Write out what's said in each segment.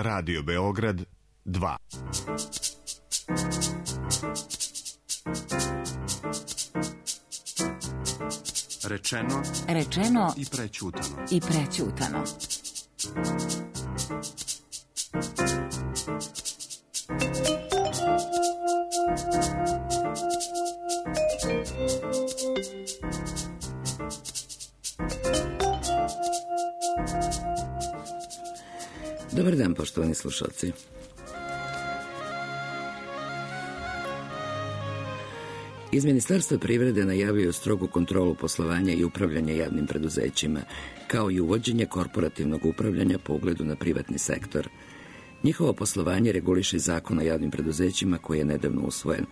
Radio Beograd 2. Rečeno i prećutano. Dobar dan, poštovani slušalci. Iz Ministarstva privrede najavio strogu kontrolu poslovanja i upravljanja javnim preduzećima, kao i uvođenje korporativnog upravljanja po ugledu na privatni sektor. Njihovo poslovanje reguliše Zakon o javnim preduzećima koji je nedavno usvojen.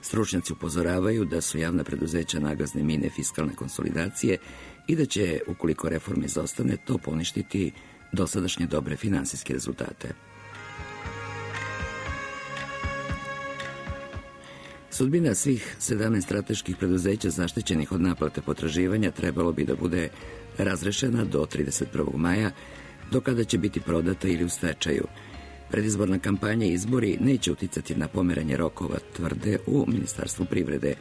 Stručnjaci upozoravaju da su javna preduzeća nagazne mine fiskalne konsolidacije i da će, ukoliko reforma izostane, to poništiti dosadašnje dobre finansijske rezultate. Sudbina svih 17 strateških preduzeća zaštićenih od naplate potraživanja trebalo bi da bude razrešena do 31. maja, do kada će biti prodata ili u stečaju. Predizborna kampanja i izbori neće uticati na pomeranje rokova, tvrde u Ministarstvu privrede.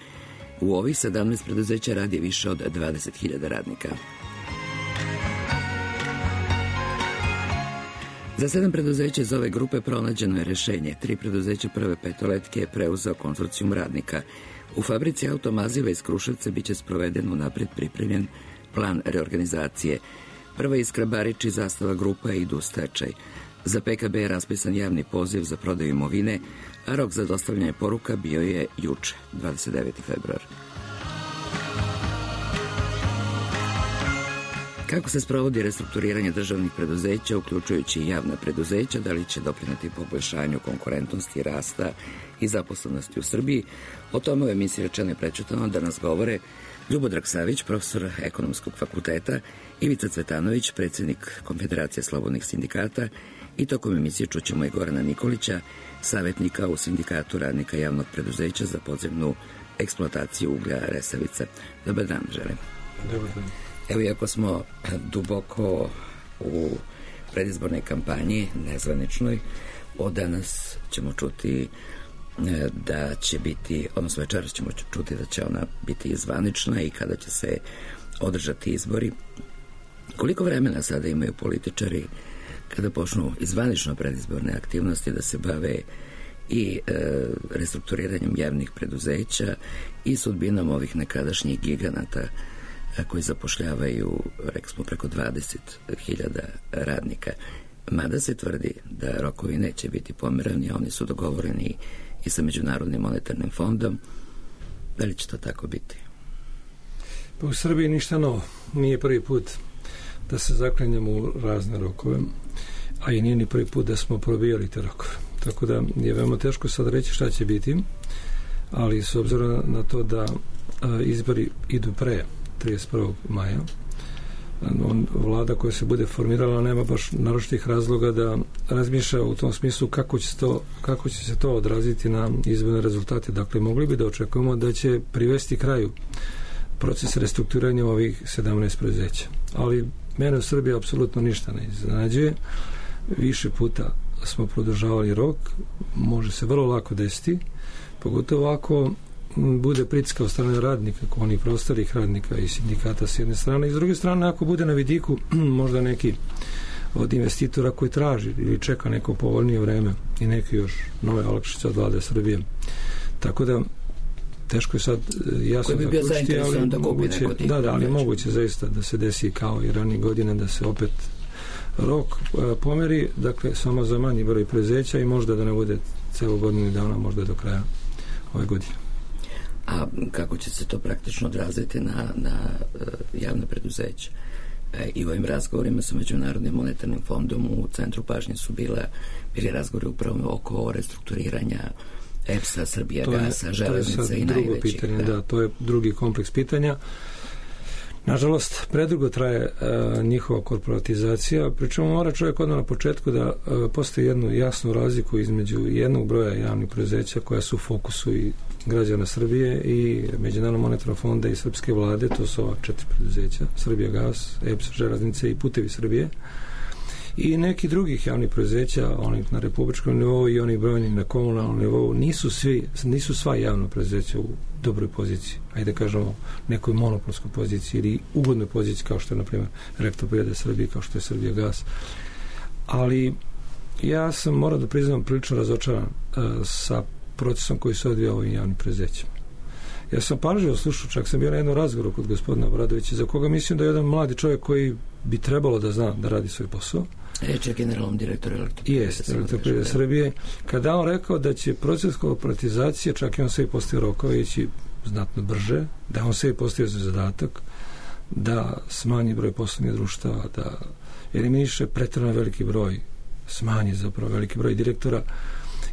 U ovih 17 preduzeća radi više od 20.000 radnika. Za 7 preduzeća iz ove grupe pronađeno je rešenje. 3 preduzeća Prve petoletke je preuzeo konzorcijum radnika. U fabrici automaziva iz Kruševca biće sproveden unapred pripremljen plan reorganizacije. Prva Iskra Barič i Zastava grupa idu u stečaj. Za PKB je raspisan javni poziv za prodaju imovine, a rok za dostavljanje poruka bio je juče, 29. februar. Kako se sprovodi restrukturiranje državnih preduzeća, uključujući i javna preduzeća, da li će doprineti poboljšanju konkurentnosti, rasta i zaposlenosti u Srbiji? O tome u emisiji Rečeno i prećutano da nas govore Ljubodrag Savić, profesor Ekonomskog fakulteta, Ivica Cvetanović, predsjednik Konfederacije slobodnih sindikata, i tokom emisije čućemo i Gorana Nikolića, savjetnika u Sindikatu radnika javnog preduzeća za podzemnu eksploataciju uglja Resavica. Dobar dan, želim. Dobar dan. Evo, iako smo duboko u predizbornoj kampanji, nezvaničnoj, od danas ćemo čuti da će biti, odnosno večeras ćemo čuti da će ona biti zvanična i kada će se održati izbori. Koliko vremena sada imaju političari kada počnu i zvanično predizborne aktivnosti da se bave i restrukturiranjem javnih preduzeća i sudbinom ovih nekadašnjih giganata koji zapošljavaju, rekli smo, preko 20.000 radnika. Mada se tvrdi da rokovi neće biti pomerani, oni su dogovoreni i sa Međunarodnim monetarnim fondom. Da li će to tako biti? Pa u Srbiji ništa novo. Nije prvi put da se zaklanjamo u razne rokove, a i nije ni prvi put da smo probijali te rokove. Tako da je veoma teško sad reći šta će biti, ali s obzirom na to da izbori idu pre 31. maja, vlada koja se bude formirala nema baš naročitih razloga da razmišlja u tom smislu kako će se to odraziti na izborne rezultate. Dakle, mogli bi da očekujemo da će privesti kraju proces restrukturiranja ovih 17 preduzeća. Ali mene u Srbiji apsolutno ništa ne iznenađuje. Više puta smo produžavali rok, može se vrlo lako desiti, pogotovo ako bude pritiska od strane radnika, onih prostorih radnika i sindikata s jedne strane, i s druge strane ako bude na vidiku možda neki od investitora koji traži ili čeka neko povoljnije vreme i neke još nove olakšice od vlade Srbije. Tako da teško je sad jasno da kušti, ali moguće zaista da se desi kao i ranije godine da se opet rok pomeri, dakle samo za manji broj preduzeća i možda da ne bude celo godinu dana, možda do kraja ove godine. A kako će se to praktično odraziti na javne preduzeća? I u ovim razgovorima sa Međunarodnim monetarnim fondom u centru pažnje su bili razgovori upravo oko restrukturiranja EPS-a, Srbijagasa, Železnice i najvećih. Pitanje, da, to je drugi kompleks pitanja. Nažalost, predugo traje njihova korporatizacija, pričemu mora čovjek odmah na početku da postoji jednu jasnu razliku između jednog broja javnih preduzeća koja su u fokusu i građana Srbije i Međunarodnog monetarnog fonda i srpske vlade, to su ova 4 preduzeća, Srbijagas, EPS, Železnice i Putevi Srbije. i neki drugih javnih preduzeća, onih na republičkom nivou i onih brojnih na komunalnom nivou, nisu sva javna preduzeća u dobroj poziciji, ajde da kažemo nekoj monopolskoj poziciji ili ugodnoj poziciji kao što je na primjer Elektroprivreda Srbije, kao što je Srbijagas. Ali ja sam, moram da priznam, prilično razočaran sa procesom koji se odvija ovim javnim preduzećima. Ja sam pažljivo slušao, čak sam bio na jednom razgovoru kod gospodina Obradovića, za koga mislim da je jedan mladi čovjek koji bi trebalo da zna da radi svoj posao. Reč je generalnom direktoru Elektroprivrede Srbije. Kada on rekao da će proces korporatizacije, čak i on se i postavio rokove, ići znatno brže, da on se i postavio za zadatak da smanji broj poslovnih društava, da eliminiše preterano veliki broj, smanji zapravo veliki broj direktora,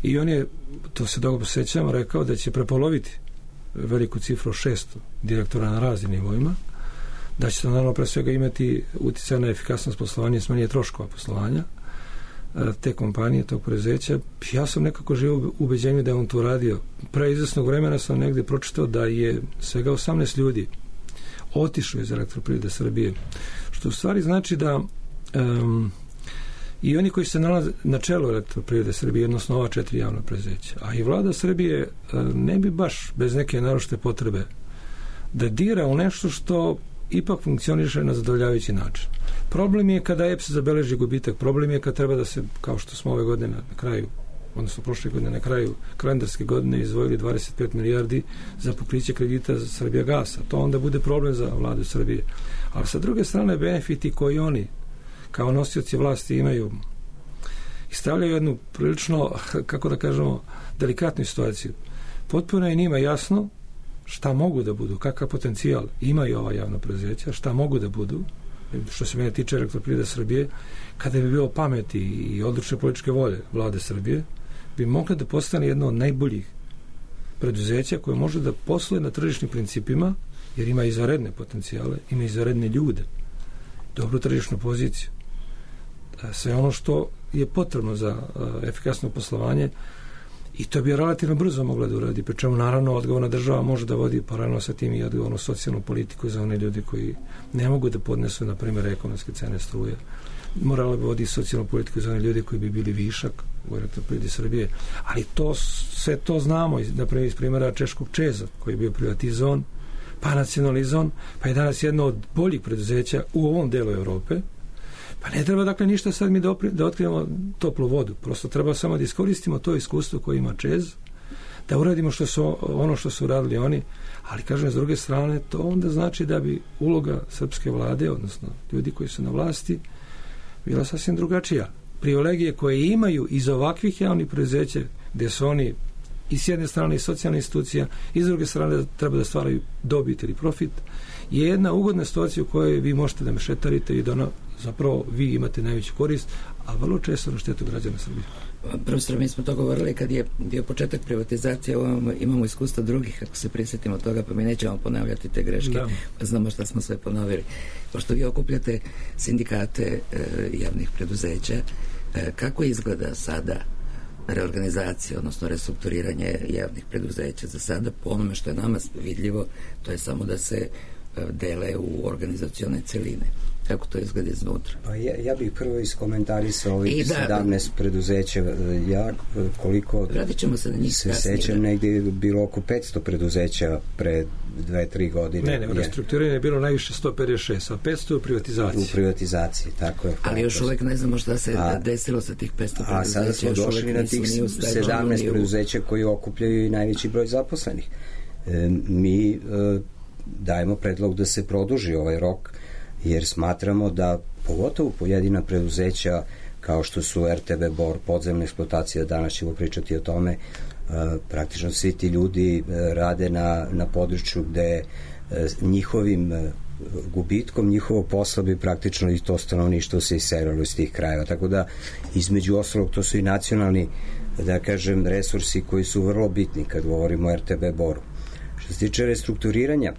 i on je, to se dobro sećam, rekao da će prepoloviti veliku cifru 600 direktora na raznim nivoima, da će to naravno pre svega imati uticaj na efikasnost poslovanja i smanjenje troškova poslovanja te kompanije, tog preduzeća. Ja sam nekako živio u ubeđenju da je on to radio. Pre izvesnog vremena sam negde pročitao da je svega 18 ljudi otišlo iz Elektroprivrede Srbije, što u stvari znači da i oni koji se nalaze na čelu Elektroprivrede Srbije, odnosno ova 4 javna preduzeća, a i vlada Srbije ne bi baš bez neke naročite potrebe da dira u nešto što ipak funkcioniše na zadovoljavajući način. Problem je kada EPS zabeleži gubitak, problem je kad treba da se, kao što smo ove godine na kraju, odnosno prošle godine na kraju kalendarske godine izdvojili 25 milijardi za pokriće kredita za Srbijagasa. To onda bude problem za vladu Srbije. Ali sa druge strane, benefiti koji oni kao nosioci vlasti imaju i stavljaju jednu prilično, kako da kažemo, delikatnu situaciju. Potpuno je njima jasno šta mogu da budu, kakav potencijal imaju ova javna preduzeća, šta mogu da budu, što se mene tiče Elektroprivrede Srbije, kada bi bilo pameti i odlučne političke volje vlade Srbije, bi mogla da postane jedno od najboljih preduzeća koje može da posluje na tržišnim principima, jer ima izvanredne potencijale, ima izvanredne ljude, dobru tržišnu poziciju, sve ono što je potrebno za efikasno poslovanje, i to bi relativno brzo mogla da uradi, pri čemu naravno odgovorna država može da vodi paralelno sa tim i odgovornu socijalnu politiku za one ljudi koji ne mogu da podnesu, na primjer, ekonomske cene struje. Morala bi vodi socijalnu politiku za one ljudi koji bi bili višak u Elektroprivredi Srbije, ali sve to znamo, naprimjer iz primjera češkog ČEZ-a koji je bio privatizovan, pa nacionalizovan, pa je danas jedno od boljih preduzeća u ovom delu Evrope. Pa ne treba dakle ništa sad mi da otkrijemo toplu vodu, prosto treba samo da iskoristimo to iskustvo koje ima ČEZ, da uradimo ono što su uradili oni, ali kažem s druge strane to onda znači da bi uloga srpske vlade, odnosno ljudi koji su na vlasti, bila sasvim drugačija. Privilegije koje imaju iz ovakvih javnih preduzeća, gdje su oni i s jedne strane i socijalne institucija, i s druge strane treba da stvaraju dobit ili profit, je jedna ugodna situacija u kojoj vi možete da mešetarite i da zapravo vi imate najveću korist, a vrlo često na štetu građana Srbije. Profesor, mi smo to govorili kad je bio početak privatizacije, imamo iskustva drugih, ako se prisjetimo toga, pa mi nećemo ponavljati te greške, pa znamo šta smo sve ponovili. Pošto vi okupljate sindikate javnih preduzeća, kako izgleda sada reorganizacija, odnosno restrukturiranje javnih preduzeća za sada? Po onome što je nama vidljivo, to je samo da se dele u organizacione celine. Kako to izgleda iznutra? Pa ja bih prvo iskomentarisao ovih 17 preduzeća. Ja koliko se sećam, negdje je bilo oko 500 preduzeća pre 2-3 godine. Ne, restrukturiranje je bilo najviše 156, a 500 u privatizaciji. U privatizaciji, tako je. Ali još uvek ne znamo šta se desilo sa tih 500 preduzeća. A sada smo došli na tih 17 preduzeća koji okupljaju i najveći broj zaposlenih. Mi dajemo predlog da se produži ovaj rok, jer smatramo da pogotovo pojedina preduzeća kao što su RTB Bor, podzemna eksploatacija, danas ćemo pričati o tome, praktično svi ti ljudi rade na području gde njihovim gubitkom njihovog posla bi praktično i to stanovništvo se iselilo iz tih krajeva, tako da između ostalog to su i nacionalni, da kažem, resursi koji su vrlo bitni kad govorimo o RTB Boru. Što se tiče restrukturiranja,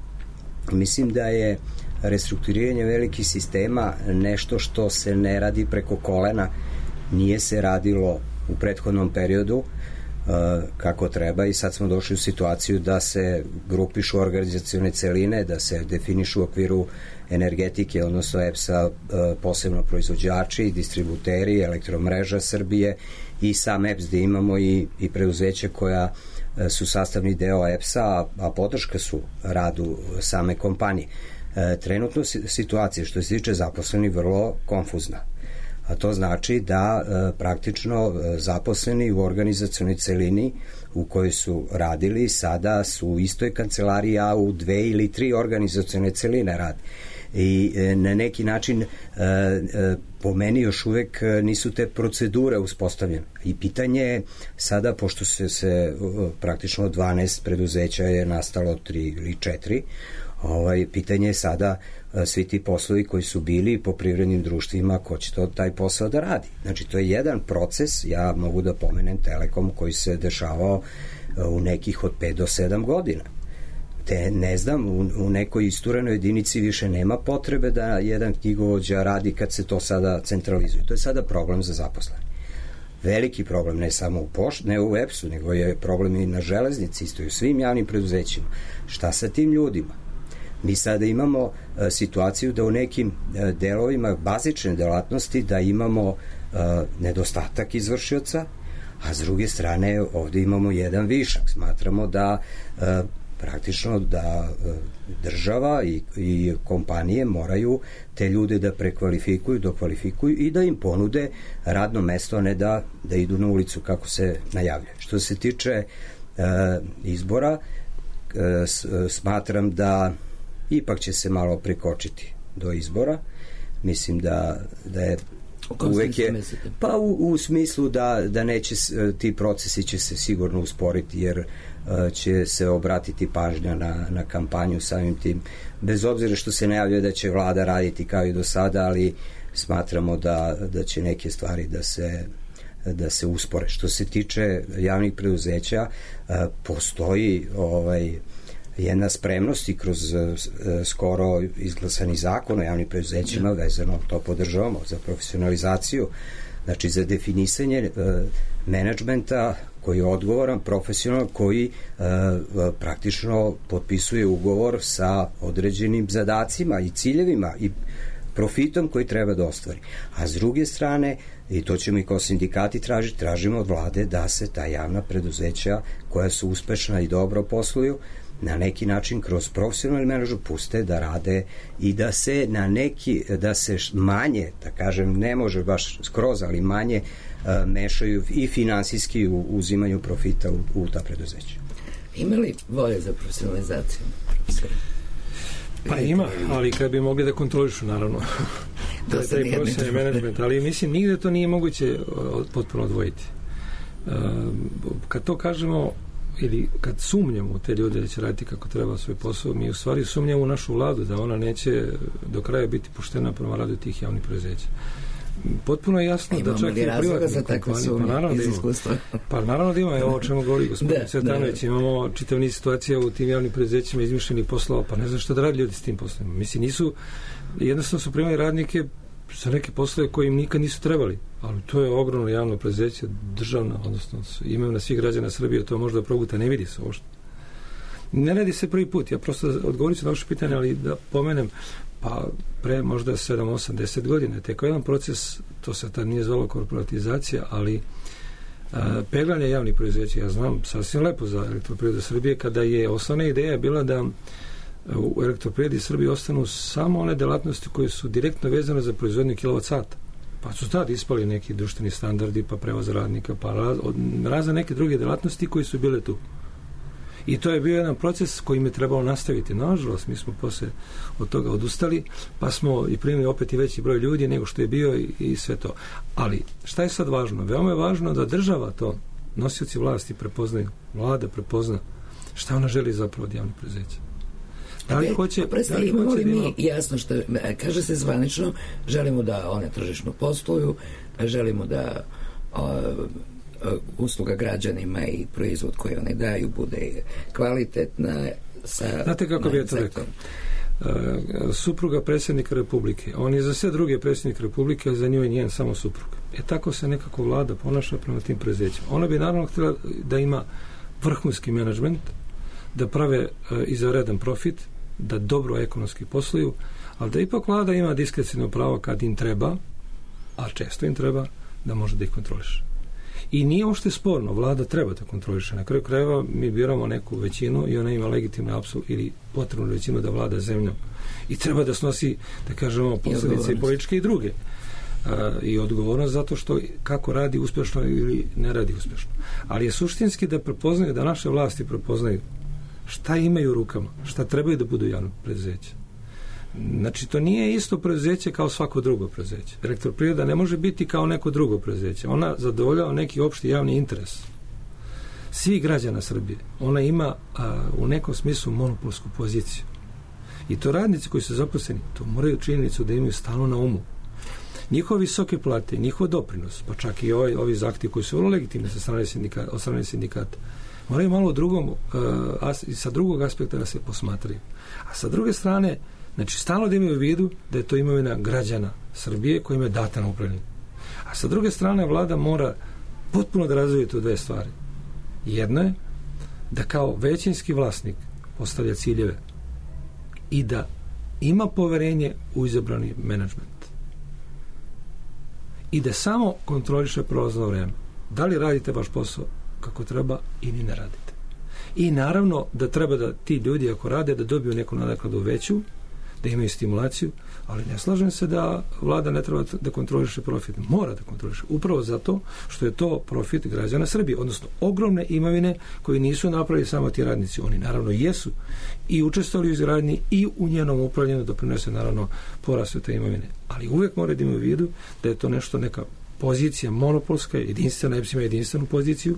mislim da je restrukturiranje velikih sistema nešto što se ne radi preko kolena, nije se radilo u prethodnom periodu. kako treba i sad smo došli u situaciju da se grupišu organizacione celine, da se definišu u okviru energetike, odnosno EPS-a posebno proizvođači, distributeri, elektromreža Srbije i sam EPS, da imamo i preduzeće koja su sastavni deo EPS-a, a podrška su radu same kompanije. Trenutno situacija što se tiče zaposleni vrlo konfuzna. A to znači da praktično zaposleni u organizacionoj celini u kojoj su radili sada su u istoj kancelariji, a u 2 ili 3 organizacione celine radi. I na neki način po meni još uvek nisu te procedure uspostavljene. I pitanje je sada, pošto se praktično 12 preduzeća je nastalo 3 ili 4, pitanje je sada svi ti poslovi koji su bili po privrednim društvima, ko će taj posao da radi. Znači, to je jedan proces, ja mogu da pomenem Telekom koji se dešavao u nekih od 5 do 7 godina. Te, ne znam, u nekoj isturenoj jedinici više nema potrebe da jedan knjigovođa radi kad se to sada centralizuje. To je sada problem za zaposlene. Veliki problem, ne samo ne u EPS-u, nego je problem i na železnici, isto i u svim javnim preduzećima. Šta sa tim ljudima? Mi sada imamo situaciju da u nekim delovima bazične delatnosti da imamo nedostatak izvršioca, a s druge strane ovde imamo jedan višak. Smatramo da praktično da država i kompanije moraju te ljude da prekvalifikuju, dokvalifikuju i da im ponude radno mesto, a ne da idu na ulicu kako se najavljuje. Što se tiče izbora, smatram da ipak će se malo prikočiti do izbora. Mislim da je uvek je, pa u smislu da neće, ti procesi će se sigurno usporiti, jer će se obratiti pažnja na kampanju samim tim, bez obzira što se najavljuje da će vlada raditi kao i do sada, ali smatramo da će neke stvari da se uspore. Što se tiče javnih preduzeća, postoji jedna spremnost i kroz skoro izglasani zakon o javnim preduzećima vezano, to podržavamo, za profesionalizaciju, znači za definisanje menadžmenta koji je odgovoran, profesionalan, koji praktično potpisuje ugovor sa određenim zadacima i ciljevima i profitom koji treba da ostvari. A s druge strane, i to ćemo i kao sindikati tražimo od vlade da se ta javna preduzeća koja su uspešna i dobro posluju, na neki način kroz profesionalnu mrežu puste da rade i da se da se manje, da kažem, ne može baš skroz, ali manje mešaju i finansijski u uzimanju profita u ta preduzeća. Ima li volje za profesionalizaciju? Pa ima, ali kad bi mogli da kontrolišu, naravno, taj profesionalni menadžment, ali mislim, nigde to nije moguće potpuno odvojiti. Kad to kažemo, ili kad sumnjamo u te ljude da će raditi kako treba svoj posao, mi u stvari sumnjamo u našu vladu da ona neće do kraja biti poštena prema radu tih javnih preduzeća. Potpuno je jasno da čak i privatne kompanije, pa naravno da ima, evo o čemu govori gospodin Cvetanović, imamo čitav niz situacija u tim javnim preduzećima izmišljenih poslova, pa ne znam što da radi ljudi s tim poslovima. Mislim, jednostavno su primali radnike za neke poslove koji im nikad nisu trebali, ali to je ogromno javno preduzeće, državno, odnosno imaju na svih građana Srbije, to možda probuta, ne vidi se uopšte. Ne radi se prvi put, ja prosto odgovorit ću na vaše pitanje, ali da pomenem, pa pre možda 7, 8, 10 godina, teko jedan proces, to se tad nije zvalo korporatizacija, ali peglanje javnih preduzeća, ja znam sasvim lepo za Elektroprivredu Srbije, kada je osnovna ideja bila da u Elektroprivredi Srbije ostanu samo one delatnosti koje su direktno vezane za proizvodnju kilovat-sata. Pa su tad ispali neki društveni standardi, pa prevoz radnika, pa razne neke druge delatnosti koji su bile tu. I to je bio jedan proces kojim je trebalo nastaviti. Nažalost, mi smo posle od toga odustali, pa smo i primili opet i veći broj ljudi nego što je bio i sve to. Ali, šta je sad važno? Veoma je važno da država to, nosioci vlasti prepoznaju, vlada prepozna šta ona želi zapravo od javnih preduzeća. Da li hoće... Imamo li mi jasno što kaže se zvanično, želimo da one tržišno posluju, želimo da usluga građanima i proizvod koji one daju bude kvalitetna. Znate kako bi je to rekao? Supruga predsjednika Republike. On je za sve druge predsjednik Republike, a za nju je njen samo suprug. tako se nekako vlada ponaša prema tim preduzećima. Ona bi naravno htjela da ima vrhunski menadžment, da prave izvanredan profit, da dobro ekonomski posluju, ali da ipak vlada ima diskrecijno pravo kad im treba, a često im treba, da može da ih kontroliše. I nije uopšte sporno, vlada treba da kontroliše. Na kraju krajeva mi biramo neku većinu i ona ima legitimnu apsolutnu ili potrebnu većinu da vlada zemljom. I treba da snosi, da kažemo, posljedice i političke i druge. I odgovornost zato što kako radi uspješno ili ne radi uspješno. Ali je suštinski da prepoznaju, da naše vlasti prepoznaju šta imaju u rukama, šta trebaju da budu javno preduzeće. Znači, to nije isto preduzeće kao svako drugo preduzeće. Elektroprivreda ne može biti kao neko drugo preduzeće. Ona zadovoljava neki opšti javni interes svih građana Srbije. Ona ima u nekom smislu monopolsku poziciju. I to radnici koji su zaposleni, to moraju činjenicu da imaju stalno na umu. Njihove visoke plate, njihov doprinos, pa čak i ovi zahtjevi koji su vrlo legitimni od strane sindikata, moraju malo sa drugog aspekta da se posmatraju. A sa druge strane, znači, stalno da imaju u vidu da je to imovina građana Srbije kojima je data na upravljanje. A sa druge strane, vlada mora potpuno da razvije to dve stvari. Jedno je da kao većinski vlasnik postavlja ciljeve i da ima poverenje u izabrani menadžment. I da samo kontroliše prolazno vreme. Da li radite vaš posao kako treba ili ne radite. I naravno da treba da ti ljudi ako rade da dobiju neku nadoknadu veću, da imaju stimulaciju, ali ne slažem se da vlada ne treba da kontroliše profit. Mora da kontroliše. Upravo zato što je to profit građana Srbije, odnosno ogromne imovine koje nisu napravili samo ti radnici. Oni naravno jesu i učestvovali u izgradnji i u njenom upravljanju doprinose naravno porastu te imovine. Ali uvek mora da imaju u vidu da je to nešto, neka pozicija monopolska, jedinstvena, EPS ima jedinstvenu poziciju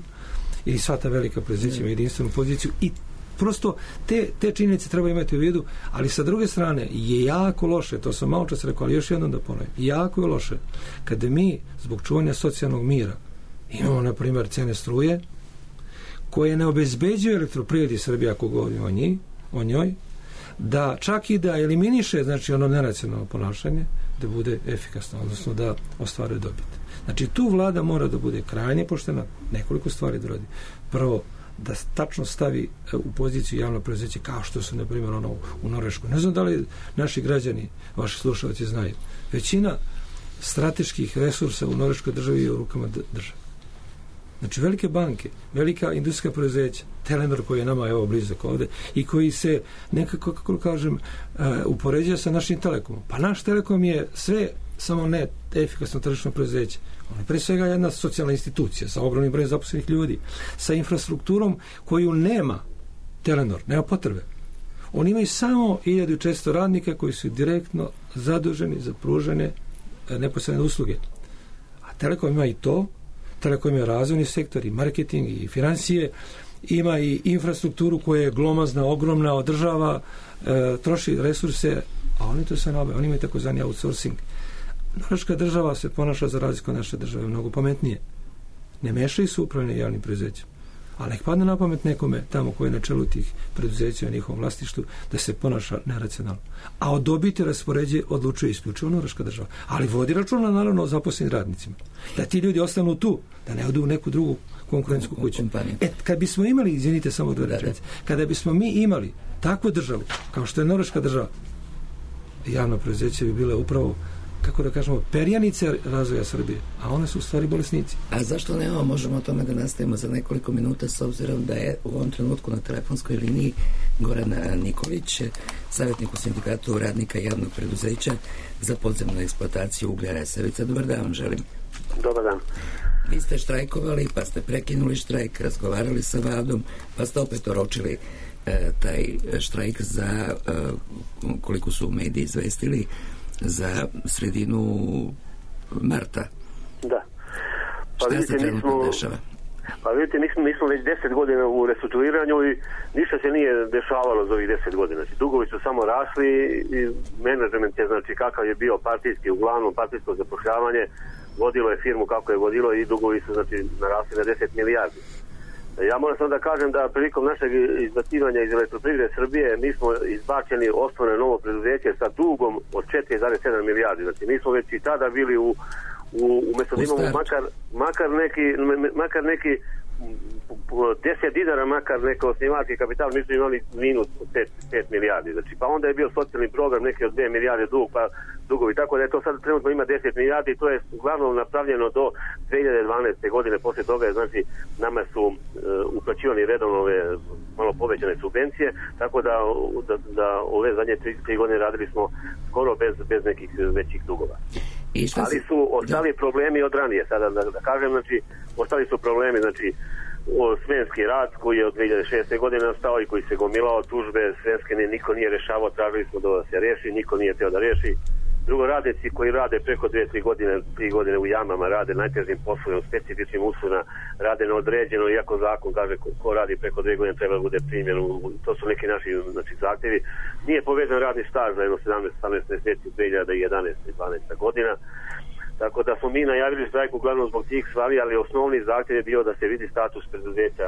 ili sva ta velika preduzeća ima jedinstvenu poziciju i prosto te činjenice treba imati u vidu, ali sa druge strane je jako loše, to sam malo čas rekao, ali još jednom da ponovim, jako je loše kada mi zbog čuvanja socijalnog mira imamo, na primjer, cene struje koje ne obezbeđuju Elektroprivredi Srbije, ako govorimo o njoj, da čak i da eliminiše, znači, ono neracionalno ponašanje, da bude efikasno, odnosno da ostvaruje dobit. Znači, tu vlada mora da bude krajnje poštena, nekoliko stvari da radi. Prvo, da tačno stavi u poziciju javno preduzeće kao što su, na primjer, u Norveškoj. Ne znam da li naši građani, vaši slušalci znaju. Većina strateških resursa u Norveškoj državi je u rukama države. Znači, velike banke, velika industrijska preduzeća, Telenor koji je nama evo blizak ovde i koji se nekako, kako kažem, upoređuje sa našim Telekomom. Pa naš Telekom je sve samo ne efikasno tržišno preduzeće. On je pre svega jedna socijalna institucija sa ogromnim brojem zaposlenih ljudi, sa infrastrukturom koju nema Telenor, nema potrebe. Oni imaju samo 1400 radnika koji su direktno zaduženi za pružanje neposredne usluge. A Telekom ima i to, Telekom ima razvojni sektor i marketing i financije, ima i infrastrukturu koja je glomazna, ogromna, održava, troši resurse, a oni to sve nabavljaju. Oni imaju takozvani outsourcing. Norveška država se ponaša za razliku od naše države mnogo pametnije. Ne mešaju se upravljanje javnim preduzećem. Ali nek padne na pamet nekome tamo koji je na čelu tih preduzeća u njihovom vlasništvu da se ponaša neracionalno. A od dobiti raspoređe odlučuje isključivo Norveška država. Ali vodi računa naravno o zaposlenim radnicima. Da ti ljudi ostanu tu, da ne odu u neku drugu konkurentsku kuću. Kad bismo imali, izvinite samo dve rečenice, kada bismo mi imali takvu državu, kao što je Norveška država, javno preduzeće bi bile upravo, kako da kažemo, perjanice razvoja Srbije, a one su u stvari bolesnici. A zašto nema, možemo o tome da nastavimo za nekoliko minuta, s obzirom da je u ovom trenutku na telefonskoj liniji Goran Nikolić, savjetnik u sindikatu radnika javnog preduzeća za podzemnu eksploataciju uglja Resavica. Dobar dan vam želim. Dobar dan. Vi ste štrajkovali, pa ste prekinuli štrajk, razgovarali sa vladom, pa ste opet oročili taj štrajk za, koliko su mediji izvestili, za sredinu marta. Da. Pa šta se trenutno dešava? Pa vidite, mi smo već 10 godina u restrukturiranju i ništa se nije dešavalo za ovih 10 godina. Znači, dugovi su samo rasli i menadžment je, znači, kakav je bio partijski, uglavnom partijsko zapošljavanje, vodilo je firmu kako je vodilo i dugovi su, znači, narasli na 10 milijardi. Ja moram samo da kažem da prilikom našeg izbacivanja iz Elektroprivrede Srbije mi smo izbačeni osnovno novo preduzeće sa dugom od 4,7 milijardi. Znači mi smo već i tada bili umjesto da imamo makar neki 10 dinara makar neko osnivački kapital, mi smo imali minus 5 milijardi. Znači, pa onda je bio socijalni program neki od 2 milijarde dugovi, tako da je to sad trenutno ima 10 milijardi i to je uglavnom napravljeno do 2012. godine. Poslije toga je, znači, nama su uplaćivani redovno ove malo povećane subvencije, tako da ove zadnje 3 godine radili smo skoro bez nekih većih dugova. Ali su ostali problemi od ranije, sada da kažem, znači, ostali su problemi, znači, Svenski rad koji je od 2006. godine nastao i koji se gomilao tužbe Svenske niko nije rešavao, tražili smo da se reši, niko nije teo da reši. Drugo, radnici koji rade preko 3 godine u jamama, rade najtežim poslovima, specifičnim uslovima, rade neodređeno, iako zakon kaže ko radi preko 2 godine treba da bude primjen. To su neki naši, znači, zahtjevi. Nije povezan radni staž za jedno 17-18 mjeseci 2011. i 12. godina. Tako da smo mi najavili štrajk uglavnom zbog tih stvari, ali osnovni zahtjev je bio da se vidi status preduzeća,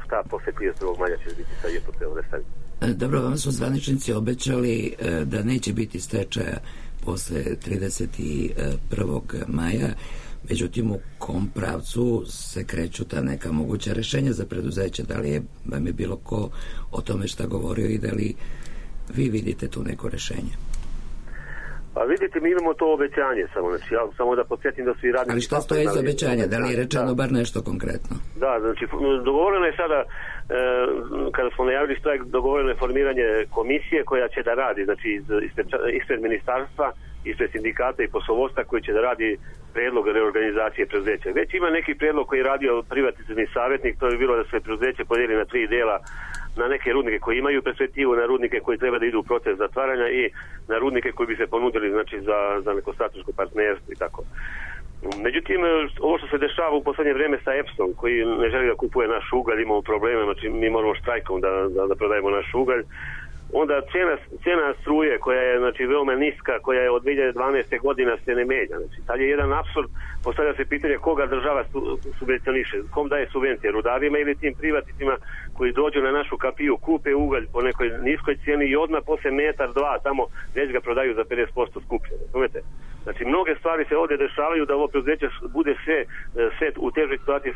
šta posle 31. maja će biti sa JPP-om restavljen. Dobro, vam su zvaničnici obećali da neće biti stečaja posle 31. maja, međutim u kom pravcu se kreću ta neka moguća rešenja za preduzeće, da li vam je bilo ko o tome šta govorio i da li vi vidite tu neko rešenje? Pa vidite, mi imamo to obećanje samo, znači ja samo da podsjetim da su i radnici... Ali šta stoji iz obećanja? Da li je rečeno bar nešto konkretno? Da, znači dogovoreno je sada, kada smo najavili štrajk, dogovoreno je formiranje komisije koja će da radi, znači ispred ministarstva, ispred sindikata i poslovodstva koji će da radi predlog reorganizacije preduzeća. Već ima neki predlog koji je radio privatizacioni savjetnik, to je bilo da se preduzeće podijeli na 3 dela, na neke rudnike koji imaju perspektivu, na rudnike koji treba da idu u proces zatvaranja i na rudnike koji bi se ponudili, znači, za neko strateško partnerstvo i tako. Međutim, ovo što se dešava u poslednje vreme sa EPS-om, koji ne želi da kupuje naš ugalj, imamo probleme, znači mi moramo štrajkom da prodajemo naš ugalj, onda cena struje koja je, znači, veoma niska, koja je od 2012. godina se ne menja. Znači, tad je jedan apsurd, postavlja se pitanje koga država subvencioniše, kom daje subvencije, rudarima ili tim privatnicima koji dođu na našu kapiju, kupe ugalj po nekoj niskoj cijeni i odmah posle metar, dva, tamo već ga prodaju za 50% skuplje. Razumete? Znači, mnoge stvari se ovdje dešavaju da ovo preduzeće bude sve u težoj situaciji,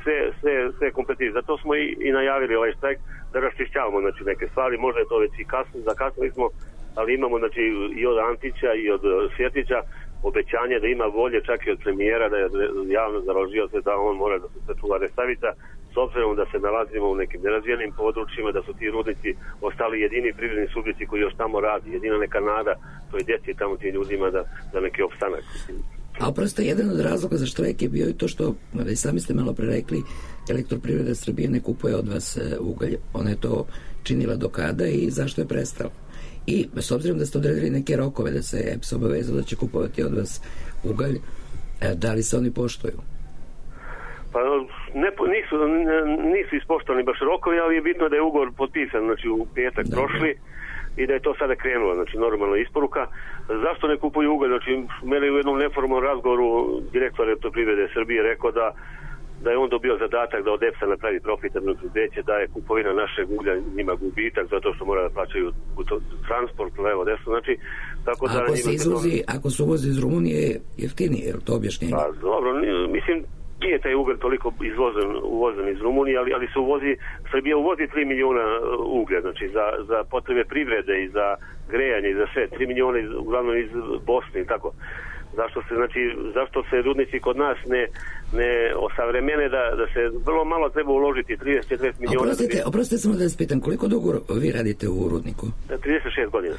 sve kompetitivno. Zato smo i najavili ovaj štrajk da raščišćavamo, znači, neke stvari, možda je to već i kasno, zakasnili smo, ali imamo, znači, i od Antića i od Svjetića obećanje da ima volje, čak i od premijera, da je javno založio se da on mora da se sačuva Resavica, s obzirom da se nalazimo u nekim nerazvijenim područjima, da su ti rudnici ostali jedini privredni subjekti koji još tamo radi, jedina neka nada toj djeci tamo tim ljudima da neki opstanak. A prosto jedan od razloga za štrajk je bio i to što, i sami ste malo pre rekli, Elektroprivreda Srbije ne kupuje od vas ugalj. Ona je to činila do kada i zašto je prestala? I s obzirom da ste odredili neke rokove da se EPS obavezao da će kupovati od vas ugalj, da li se oni poštuju? Pa nisu ispoštovani baš rokovi, ali je bitno da je ugovor potpisan, znači, u petak prošli i da je to sada krenulo, znači normalna isporuka. Zašto ne kupuju ugalj? Znači, mene u jednom neformalnom razgovoru direktor Elektroprivrede Srbije rekao da je on dobio zadatak da od EPS-a napravi profitabilno preduzeće, da je kupovina našeg uglja njima gubitak zato što mora da plaćaju transport levo desno, znači tako da ako se uvozi iz Rumunije jeftinije, je li to objašnjenje? Pa dobro, mislim, nije taj ugalj toliko uvozen iz Rumunije, ali se uvozi, Srbija uvozi 3 miliona uglja, znači za potrebe privrede i za grejanje i za sve, 3 miliona uglavnom iz Bosne i tako. Zašto se rudnici kod nas ne osavremene da se vrlo malo treba uložiti, 30-40 miliona. Oprostite samo da vas pitam, koliko dugo vi radite u rudniku? 36 godina.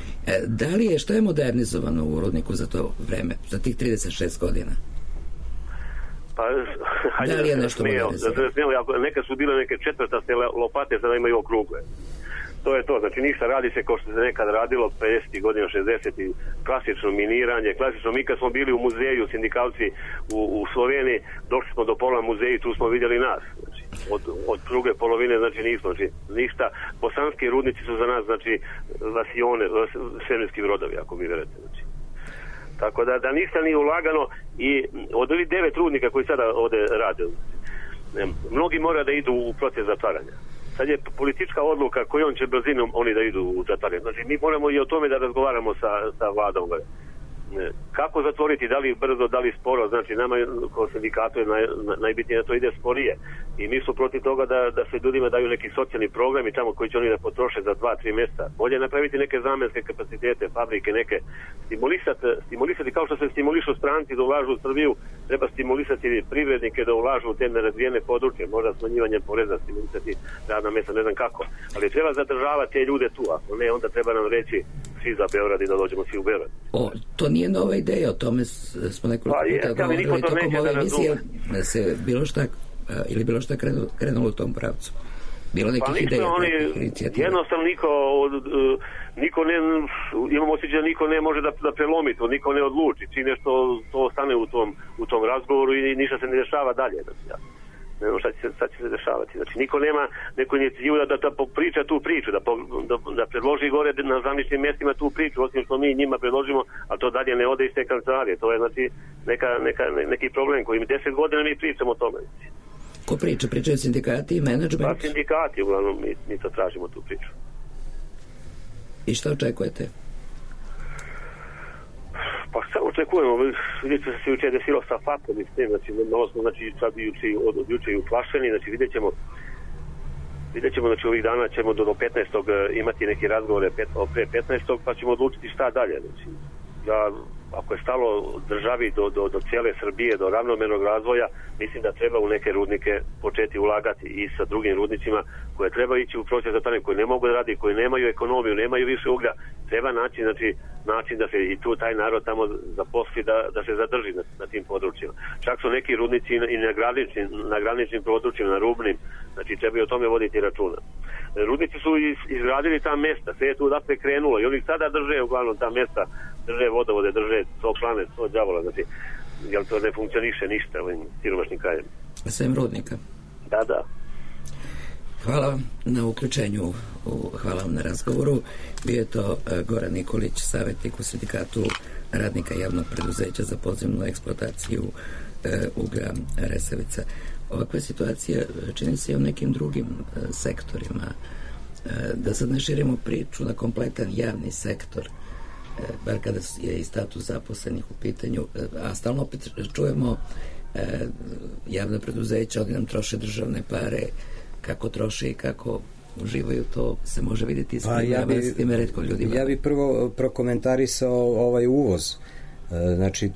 Što je modernizovano u rudniku za to vreme, za tih 36 godina? Pa, da li je nešto modernizovano? Nekad su bile neke četvrtaste lopate, sada imaju okrugle. To je to, znači ništa radi se kao što se nekad radilo 50. godina, 60. klasično miniranje, mi kad smo bili u muzeju, sindikalci u Sloveniji, došli smo do pola muzeja i tu smo vidjeli nas, znači od druge polovine, znači nismo, znači ništa, bosanski rudnici su za nas, znači lasione, svemirski brodovi, ako mi verujete, znači. Tako da ništa nije ulagano i od ovih 9 rudnika koji sada ovde rade, mnogi mora da idu u proces zatvaranja. Sad je politička odluka kojom će brzinom oni da idu u zatvaranje. Znači mi moramo i o tome da razgovaramo sa vladom. kako zatvoriti, da li brzo, da li sporo, znači nama kao sindikatu je najbitnije da to ide sporije i mi smo protiv toga da se ljudima daju neki socijalni programi tamo koji će oni da potroše za 2-3 mjeseca. Bolje napraviti neke zamenske kapacitete, fabrike, neke stimulisati kao što se stimulišu stranci da ulažu u Srbiju, treba stimulisati privrednike da ulažu u te nerazvijene područje, možda smanjivanjem poreza, stimulisati radna mjesta, ne znam kako, ali treba zadržavati te ljude tu, ako ne, onda treba nam reći svi za Beograd i da dođemo svi u Beograd. To nije nova ideja, o tome smo nekoliko puta govorili tokom ove emisije, da se bilo šta krenulo u tom pravcu. Bilo nekih ideja. Jednostavno niko ne, imamo osjećaj da niko ne može da prelomi to, niko ne odluči, čim nešto to ostane u tom razgovoru i ništa se ne dešava dalje. Ne znam šta će se dešavati. Znači, niko nema neku inicijativu da priča tu priču, da predloži gore na zamišljenim mjestima tu priču, osim što mi njima predložimo, a to dalje ne ode iz te kancelarije. To je, znači, neki problem koji 10 godina mi pričamo o tome. Ko priča? Pričaju sindikati i menadžment? Pa sindikati, uglavnom, mi to tražimo tu priču. I šta očekujete? Pa šta očekujemo? Vidite se juče desilo sa FAP-om i s tim, znači malo smo sad od juče i uplašeni, znači vidjet ćemo, znači ovih dana ćemo do 15. imati neki razgovore pre 15. pa ćemo odlučiti šta dalje. Znači, ako je stalo državi do cijele Srbije, do ravnomernog razvoja, mislim da treba u neke rudnike početi ulagati i sa drugim rudnicima koje treba ići u proces zatvaranja, koji ne mogu da radi, koji nemaju ekonomiju, nemaju više uglja, treba naći način da se i tu taj narod tamo zaposli da se zadrži na tim područjima. Čak su neki rudnici i na graničnim područjima, na rubnim, znači treba i o tome voditi računa. Rudnici su izgradili ta mesta, sve je tu odatle krenulo i oni sada drže uglavnom ta mesta, drže vodovode, drže toplane, to đavola, znači, jer to ne funkcioniše ništa u ovim siromašnim krajima. Sem rudnika. Da. Hvala vam na uključenju, hvala vam na razgovoru. Bio je to Goran Nikolić, savjetnik u sindikatu radnika javnog preduzeća za podzemnu eksploataciju uglja Resavica. Ovakva situacija čini se i u nekim drugim sektorima. Da sad ne širimo priču na kompletan javni sektor, bar kada je i status zaposlenih u pitanju, a stalno opet čujemo javna preduzeća, oni nam troše državne pare, kako troše i kako uživaju, to se može vidjeti s time retko ljudima. Ja bih prvo prokomentarisao ovaj uvoz. Znači,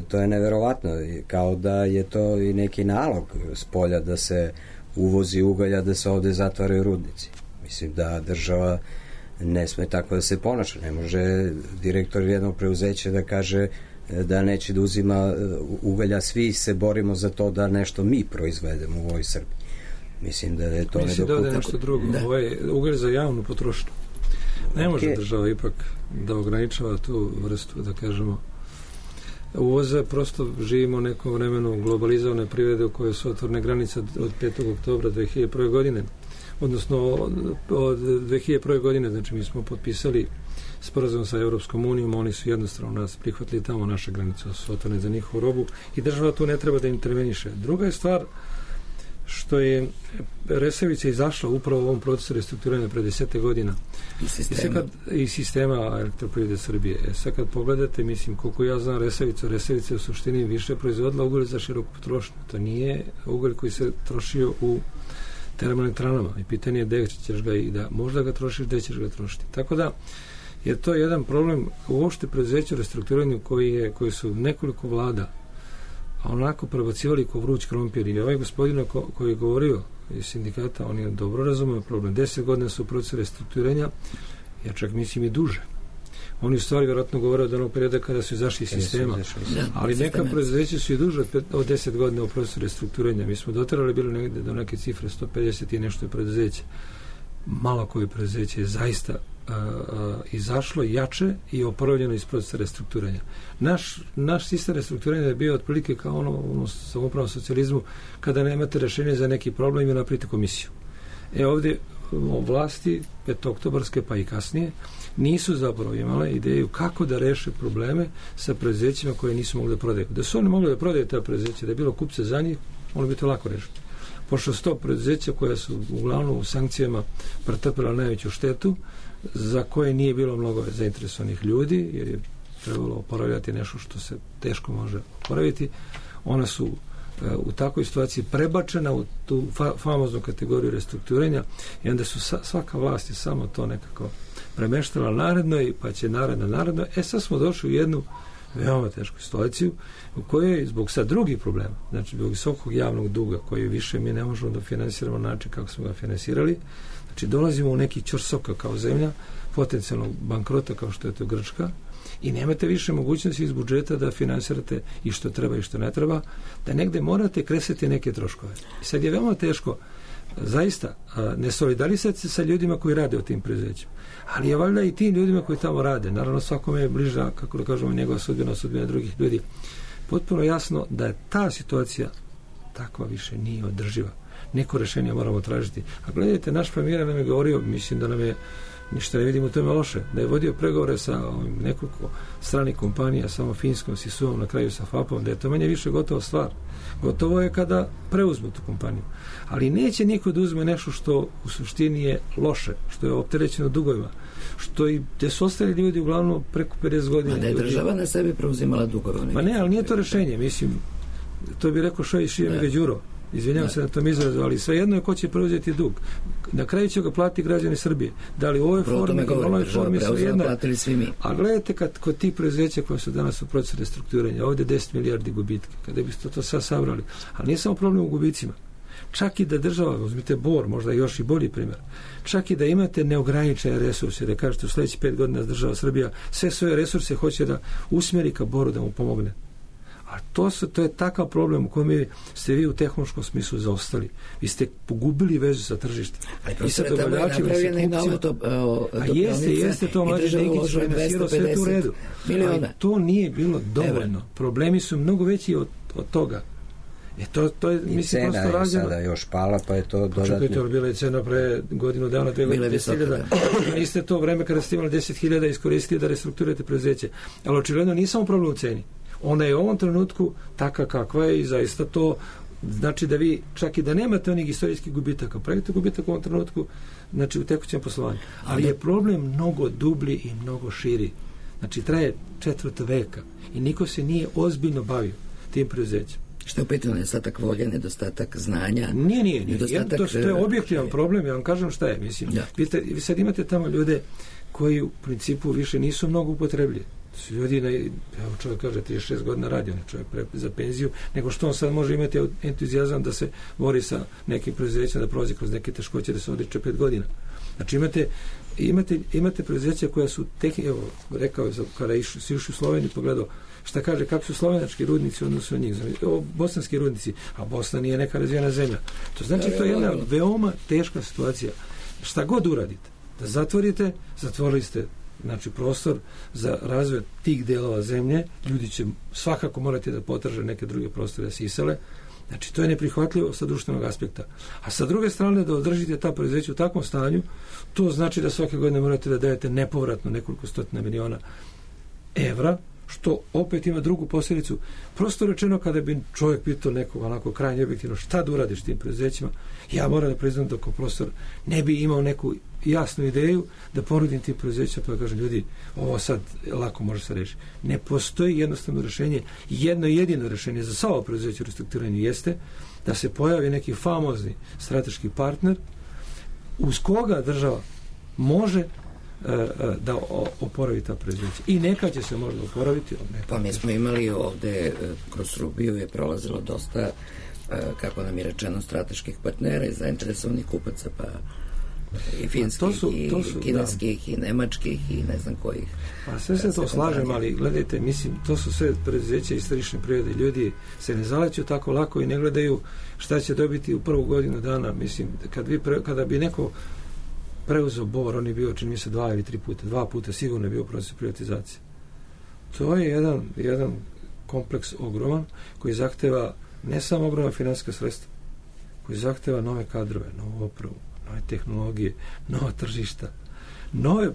to je neverovatno, kao da je to i neki nalog s polja da se uvozi ugalja, da se ovde zatvaraju rudnici. Mislim da država ne sme tako da se ponaša. Ne može direktor jednog preuzeća da kaže da neće da uzima ugalja, svi se borimo za to da nešto mi proizvedemo u ovoj Srbiji. Mislim da je to nedopustivo. Mislim da je nešto drugo. Ovo je ugalj za javnu potrošnju. Ne može država ipak da ograničava tu vrstu, da kažemo, uvoza. Prosto živimo u nekom vremenu globalizovane privrede u kojoj su otvorene granice od 5. oktobra 2001. godine. Odnosno od 2001. godine, znači mi smo potpisali sporazum sa Europskom unijom, oni su jednostavno nas prihvatili tamo, naše granice su otvorene za njihovu robu i država tu ne treba da interveniše. Druga je stvar što je Resavica izašla upravo u ovom procesu restrukturiranja pre 10 godina i sistema Elektroprivrede Srbije. Sad kad pogledate, mislim, koliko ja znam Resavica je u suštini više proizvodila ugalj za široku potrošnju. To nije ugalj koji se trošio u termoelektranama i pitanje je gde ćeš ga i da možda ga trošiš, gde ćeš ga trošiti. Tako da je to jedan problem uopšte preduzeća u restrukturiranju koji su nekoliko vlada onako prebacivali ko vruć krompir i ovaj gospodin koji je govorio iz sindikata, on je dobro razumio problem. 10 godina su u procesu restrukturiranja, ja čak mislim i duže. Oni u stvari vjerojatno govore od onog perioda kada su izašli iz sistema, ali neka preduzeća su i duže od 10 godina u procesu restrukturiranja. Mi smo doterali bili negde do neke cifre 150 i nešto je preduzeća. Malo koje preduzeće je zaista izašlo jače i oporavljeno iz procesa restrukturiranja. Naš sistem restrukturiranja je bio otprilike kao ono samoupravnom socijalizmu, kada nemate rešenje za neki problem i napravite komisiju. Ovdje vlasti petooktobarske pa i kasnije nisu zapravo imale ideju kako da reše probleme sa preduzećima koje nisu mogli da prodaju. Da su oni mogli da prodaju ta preduzeća, da je bilo kupce za njih, ono bi to lako rešiti. Pošto 100 preduzeća koja su uglavnom u sankcijama pretrpela najveću štetu, za koje nije bilo mnogo zainteresovanih ljudi, jer je trebalo oporavljati nešto što se teško može oporaviti, ona su u takvoj situaciji prebačena u tu famoznu kategoriju restrukturiranja i onda su svaka vlast je samo to nekako premeštala narednoj, pa će naredno. Sad smo došli u jednu veoma tešku situaciju u kojoj zbog sad drugih problema, znači zbog visokog javnog duga koji više mi ne možemo da finansiramo na način kako smo ga finansirali, znači dolazimo u neki ćorsoka kao zemlja, potencijalnog bankrota kao što je to Grčka i nemate više mogućnosti iz budžeta da finansirate i što treba i što ne treba, da negde morate kresati neke troškove. I sad je veoma teško zaista ne solidarisati se sa ljudima koji rade u tim preduzećima. Ali je valjda i tim ljudima koji tamo rade, naravno svakome je bliža, kako da kažemo, njegova sudbina drugih ljudi, potpuno jasno da je ta situacija takva više nije održiva. Neko rešenje moramo tražiti. A gledajte, naš premijer nam je govorio, mislim da nam je ništa ne vidimo u tome loše, da je vodio pregovore sa nekoliko stranih kompanija, samo Finskom, Sisuom, na kraju sa FAP-om, da je to manje više gotova stvar. Gotovo je kada preuzmu tu kompaniju. Ali neće niko da uzme nešto što u suštini je loše, što je opterećeno dugovima, što i gde su ostali ljudi uglavnom preko 50 godina. A da je država na sebi preuzimala dugove? Ma ne, ali nije to rešenje, mislim, to bi rekao Šije Đuro. Izvinjavam se na tom izrazu, ali svejedno je ko će preuzeti dug. Na kraju će ga platiti građani Srbije. Da li u ovoj formi ili u onoj formi svejedno. A gledajte kod tih preduzeća koje su danas u procesu restrukturiranja, ovdje 10 milijardi gubitke, kada biste to sad sabrali. Ali nije samo problem u gubicima. Čak i da država, uzmite Bor, možda još i bolji primjer, čak i da imate neograničene resurse, da kažete u sljedećih 5 godina država Srbija sve svoje resurse hoće da usmjeri ka Boru da mu pomogne. A to je takav problem u kojem ste vi u tehnološkom smislu zaostali. Vi ste pogubili vezu sa tržištem. Ali tamo je napravljena i nova jeste to Mlađe Dinkić finansirao sve u redu. Ali to nije bilo dovoljno. Problemi su mnogo veći od toga. To je, i mislim, cena je sada još pala, pa je to dodatno. Čekajte, bila je cena pre godinu dana, 2 godine, 10.000. Niste to vreme kada ste imali 10.000 iskoristili da restrukturirate preduzeće. Ali očigledno nije samo problem u ceni. Ona je u ovom trenutku taka kakva je i zaista to znači da vi čak i da nemate onih istorijskih gubitaka, pravite gubitak u ovom trenutku, znači u tekućem poslovanju. Ali je problem mnogo dublji i mnogo širi. Znači traje 4. veka i niko se nije ozbiljno bavio tim preduzećem. Što je u pitanju nedostatak volje, nedostatak znanja? Nije. To je objektivan problem, ja vam kažem šta je. Mislim. Vi sad imate tamo ljude koji u principu više nisu mnogo upotrebljeni. Su ljudi, evo čovjek kaže 36 godina radi, on je čovjek za penziju, nego što on sad može imati entuzijazam da se bori sa nekim preduzećima, da prolazi kroz neke teškoće, da se odriče 5 godina. Znači imate preduzeća koja su evo, rekao je, kada si ušli u Sloveniju, pogledao šta kaže, kako su slovenački rudnici odnosno njih, bosanski rudnici, a Bosna nije neka razvijena zemlja. To znači to je jedna veoma teška situacija. Šta god uradite, da zatvorili ste znači prostor za razvoj tih delova zemlje, ljudi će svakako morati da potraže neke druge prostore da se isele. Znači to je neprihvatljivo sa društvenog aspekta. A sa druge strane da održite ta preduzeća u takvom stanju, to znači da svake godine morate da dajete nepovratno nekoliko stotina miliona evra, što opet ima drugu posljedicu. Prosto rečeno, kada bi čovjek pitao nekog onako krajnje objektivno šta da uradiš tim preduzećima, ja moram da priznam da kao profesor ne bi imao neku jasnu ideju da ponudim tim preduzećima, pa da kažem, ljudi, ovo sad lako može se rešiti. Ne postoji jednostavno rešenje. Jedno jedino rešenje za sva preduzeća u restrukturiranju jeste da se pojavi neki famozni strateški partner uz koga država može da oporavi ta preduzeća. I neka će se možda oporaviti. Pa mi smo imali ovde, kroz Srbiju je prolazilo dosta, kako nam je rečeno, strateških partnera i zainteresovanih kupaca, pa i finskih, i kineskih, i nemačkih, i ne znam kojih. Pa sve se to slažem, ali gledajte, mislim, to su sve preduzeća iz tržišne prirode. Ljudi se ne zaleću tako lako i ne gledaju šta će dobiti u prvu godinu dana. Mislim, kada bi neko preuzeo Bor, on je bio, čini mi se, 2 ili 3 puta. 2 puta sigurno je bio proces privatizacije. To je jedan kompleks ogroman koji zahteva ne samo ogromna finansijska sredstva, koji zahteva nove kadrove, novu opravu, nove tehnologije, nova tržišta, nove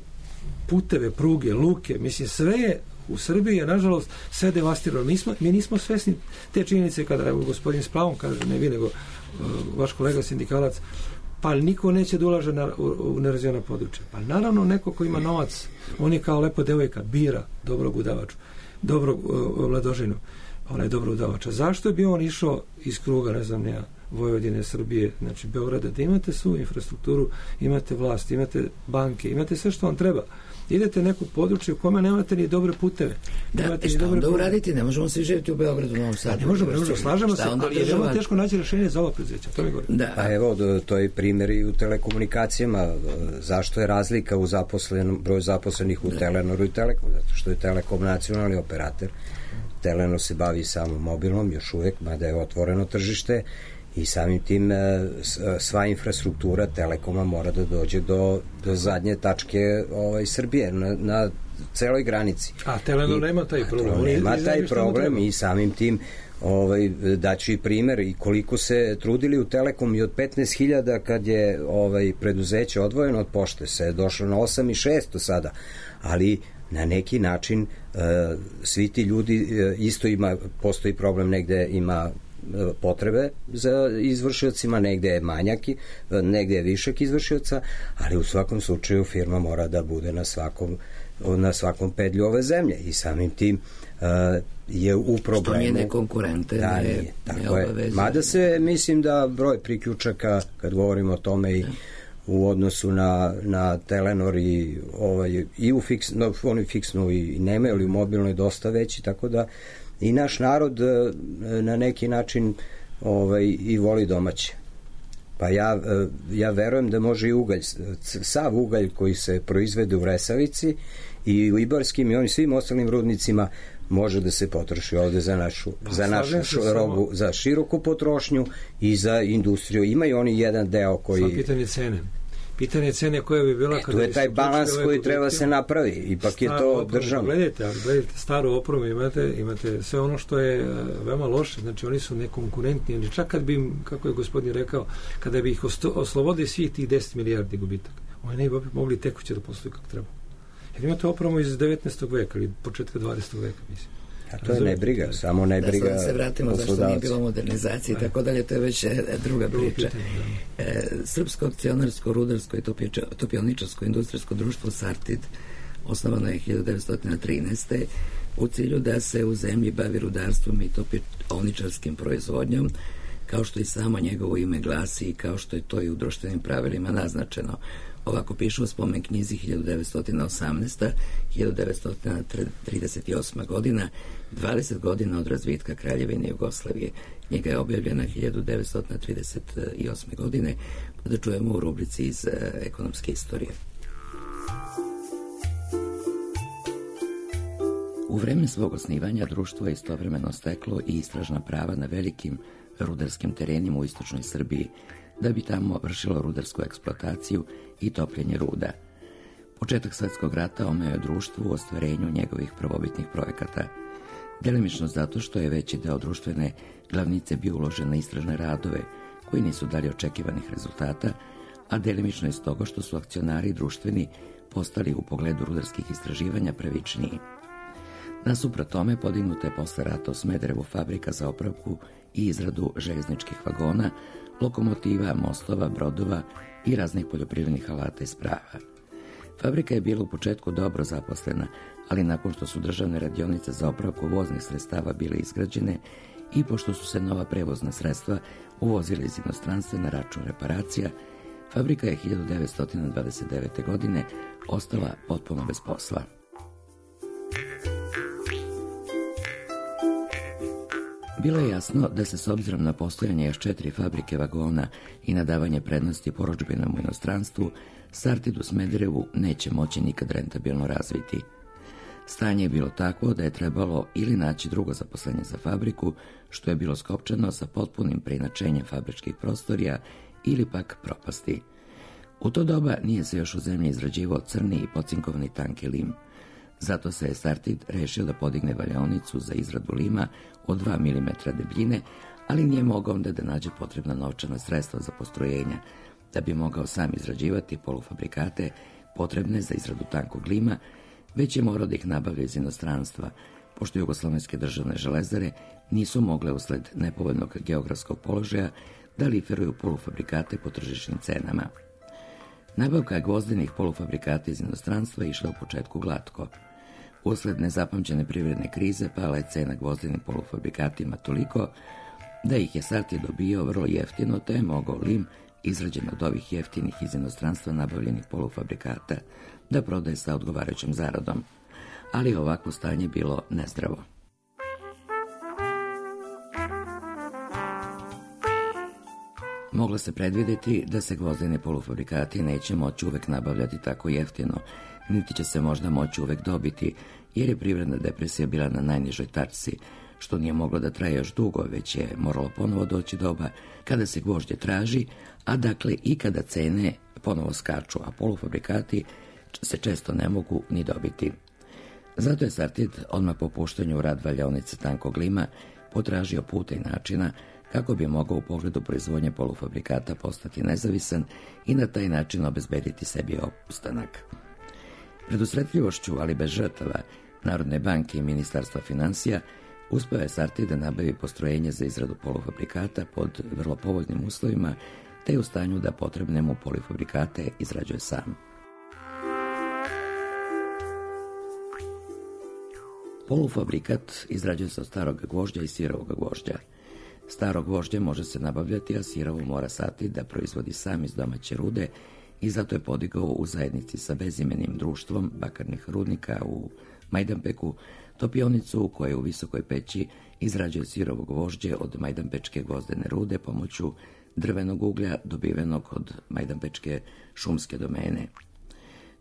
puteve, pruge, luke. Mislim, sve je u Srbiji je, nažalost, sve devastirano. Mi nismo svesni te činjenice kada gospodin s pravom kaže, ne vi, nego vaš kolega sindikalac, pa niko neće da ulaže u nerazvijena područja. Pa naravno neko ko ima novac, on je kao lepo devojka, bira dobrog udavača, dobrog mladožinu, dobro udavača. Zašto bi on išao iz kruga, ne znam, Vojvodine, Srbije, znači Beograda, da imate svu infrastrukturu, imate vlast, imate banke, imate sve što vam treba. Idete neko područje u kome nemate ni dobre puteve. Da, šta onda uraditi? Ne možemo svi živjeti u Beogradu, u Novom Sadu. Ne možemo, slažemo se, ali je veoma teško naći rješenje za ova preduzeća. To mi govori. Pa evo, to je primjer i u telekomunikacijama. Zašto je razlika u broju zaposlenih u Telenoru i Telekomu? Zato što je Telekom nacionalni operator. Telenor se bavi samo mobilnom, još uvek, mada je otvoreno tržište, i samim tim sva infrastruktura Telekoma mora da dođe do zadnje tačke Srbije na celoj granici. A Telenor nema taj problem. Nema taj problem i samim tim daću i primer i koliko se trudili u Telekom i od 15.000 kad je preduzeće odvojeno od pošte se je došlo na 8.600 sada, ali na neki način svi ti ljudi isto postoji problem, negde ima potrebe za izvršiocima, negde je manjak, negde je višak izvršioca, ali u svakom slučaju firma mora da bude na svakom pedlju ove zemlje i samim tim je u problemu. Što nije nekonkurente. Da, nije. Tako je. Mada se, mislim da broj priključaka, kad govorimo o tome i u odnosu na Telenor i u oni fiksnu i nemaju, ali u mobilnoj dosta veći, tako da i naš narod na neki način i voli domaće. Pa ja verujem da može i ugalj, sav ugalj koji se proizvede u Resavici i u Ibarskim i onim svim ostalim rudnicima može da se potroši ovde za našu robu, za široku potrošnju i za industriju. Imaju oni jedan deo koji... Sva pitanje cene koja bi bila... Tu je taj balans koji treba se napravi. Ipak je to državno. Gledajte staru opremu, imate sve ono što je veoma loše. Znači oni su nekonkurentni. Znači, čak kad bi im, kako je gospodin rekao, kada bi ih oslobodili svih tih 10 milijardi gubitaka, oni ne bi mogli tekuće da posluju kako treba. Jer imate opremu iz 19. veka ili početka 20. veka, mislim. A to je nebriga, samo nebriga. Da, sad se vratimo zašto nije bilo modernizacije i tako dalje, to je već druga priča. Srpsko akcionarsko, rudarsko i topioničarsko industrijsko društvo Sartid osnovano je 1913. u cilju da se u zemlji bavi rudarstvom i topioničarskim proizvodnjom, kao što i samo njegovo ime glasi i kao što je to i u društvenim pravilima naznačeno. Ovako piše u spomen knjizi 1918. 1938. godina, 20 godina od razvitka Kraljevine Jugoslavije. Knjiga je objavljena 1938. godine, pa da čujemo u rubrici iz ekonomske istorije. U vreme svog osnivanja društvo je istovremeno steklo i istražna prava na velikim rudarskim terenima u istočnoj Srbiji, da bi tamo vršilo rudarsku eksploataciju i topljenje ruda. Početak Svetskog rata omeo je društvu u ostvarenju njegovih prvobitnih projekata, delimično zato što je veći deo društvene glavnice bio uložen na istražne radove koji nisu dali očekivanih rezultata, a delimično iz toga što su akcionari društveni postali u pogledu rudarskih istraživanja pravičniji. Nasuprot tome podignuta je posle rata u Smederevu fabrika za opravku i izradu željezničkih vagona, lokomotiva, mostova, brodova i raznih poljoprivrednih alata i sprava. Fabrika je bila u početku dobro zaposlena, ali nakon što su državne radionice za opravku voznih sredstava bile izgrađene i pošto su se nova prevozna sredstva uvozile iz inostranstva na račun reparacija, fabrika je 1929. godine ostala potpuno bez posla. Bilo je jasno da se s obzirom na postojanje još 4 fabrike vagona i na davanje prednosti porudžbinama u inostranstvu, Sartid u Smederevu neće moći nikad rentabilno razviti. Stanje je bilo takvo da je trebalo ili naći drugo zaposlenje za fabriku, što je bilo skopčano sa potpunim preinačenjem fabričkih prostorija, ili pak propasti. U to doba nije se još u zemlji izrađivao crni i pocinkovani tanki lim. Zato se je Sartid rešio da podigne valjaonicu za izradu lima od 2 mm debljine, ali nije mogao onda da nađe potrebna novčana sredstva za postrojenja, da bi mogao sam izrađivati polufabrikate potrebne za izradu tankog lima, već je morao da ih nabavlja iz inostranstva, pošto jugoslovenske državne železare nisu mogle usled nepovoljnog geografskog položaja da liferuju polufabrikate po tržišnim cenama. Nabavka gvozdenih polufabrikata iz inostranstva išla u početku glatko. Usled nezapamćene privredne krize pala je cena gvozdenim polufabrikatima toliko da ih je Sartid dobio vrlo jeftino, te je mogao lim, izrađen od ovih jeftinih iz inostranstva nabavljenih polufabrikata, da prodaje sa odgovarajućom zaradom. Ali ovakvo stanje bilo nezdravo. Moglo se predvidjeti da se gvozdeni polufabrikati neće moći uvek nabavljati tako jeftino, niti će se možda moći uvek dobiti, jer je privredna depresija bila na najnižoj tačci, što nije moglo da traje još dugo, već je moralo ponovo doći doba kada se gvožđe traži, a dakle i kada cene ponovo skaču, a polufabrikati se često ne mogu ni dobiti. Zato je Sartid odmah po puštanju u rad valjaonice tankog lima potražio puta i načina kako bi mogao u pogledu proizvodnje polufabrikata postati nezavisan i na taj način obezbediti sebi opstanak. Predusretljivošću, ali bez žrtava, Narodne banke i Ministarstva financija uspeo je Sartid da nabavi postrojenje za izradu polufabrikata pod vrlo povoljnim uslovima, te je u stanju da potrebne mu polufabrikate izrađuje sam. Polufabrikat izrađuje se od starog gvožđa i sirovog gvožđa. Staro gvožđe može se nabavljati, a sirovo mora Sartid da proizvodi sam iz domaće rude i zato je podigao u zajednici sa bezimenim društvom bakarnih rudnika u Majdanpeku topionicu koja u visokoj peći izrađuje sirovo gvožđe od majdanpečke gvozdene rude pomoću drvenog uglja dobivenog od majdanpečke šumske domene.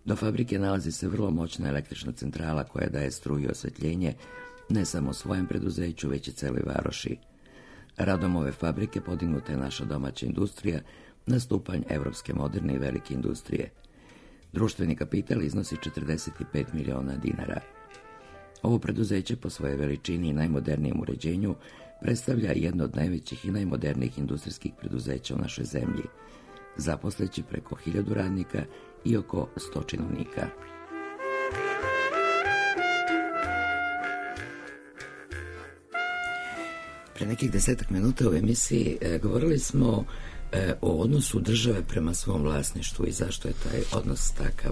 Do fabrike nalazi se vrlo moćna električna centrala koja daje struju i osvetljenje ne samo svojem preduzeću, već i celoj varoši. Radom ove fabrike podignuta je naša domaća industrija na stupanj evropske moderne i velike industrije. Društveni kapital iznosi 45 miliona dinara. Ovo preduzeće po svojoj veličini i najmodernijem uređenju predstavlja jedno od najvećih i najmodernijih industrijskih preduzeća u našoj zemlji, zaposleći preko 1000 radnika i oko 100 činovnika. Pre nekih 10 minuta u emisiji govorili smo o odnosu države prema svom vlasništvu i zašto je taj odnos takav